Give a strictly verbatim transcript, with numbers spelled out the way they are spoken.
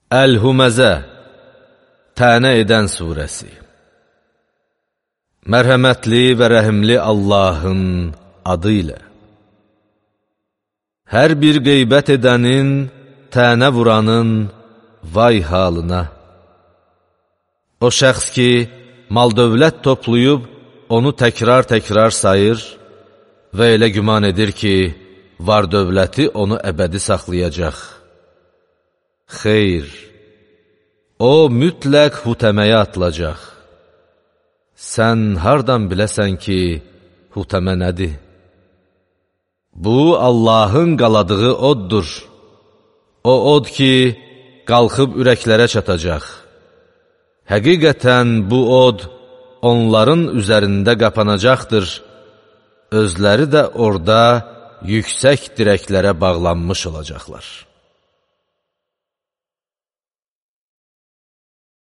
Əl-Huməzə, Tənə edən surəsi. Mərhəmətli və rəhimli Allahın adı ilə. Hər bir qeybət edənin, tənə vuranın vay halına. O şəxs ki, mal-dövlət toplayıb, onu təkrar-təkrar sayır və elə güman edir ki, var-dövləti onu əbədi saxlayacaq. Xeyr, o mütləq hutəməyə atılacaq. Sən hardan biləsən ki, hutəmə nədir? Bu, Allahın qaladığı oddur. O od ki, qalxıb ürəklərə çatacaq. Həqiqətən bu od, onların üzərində qapanacaqdır. Özləri də orada yüksək dirəklərə bağlanmış olacaqlar.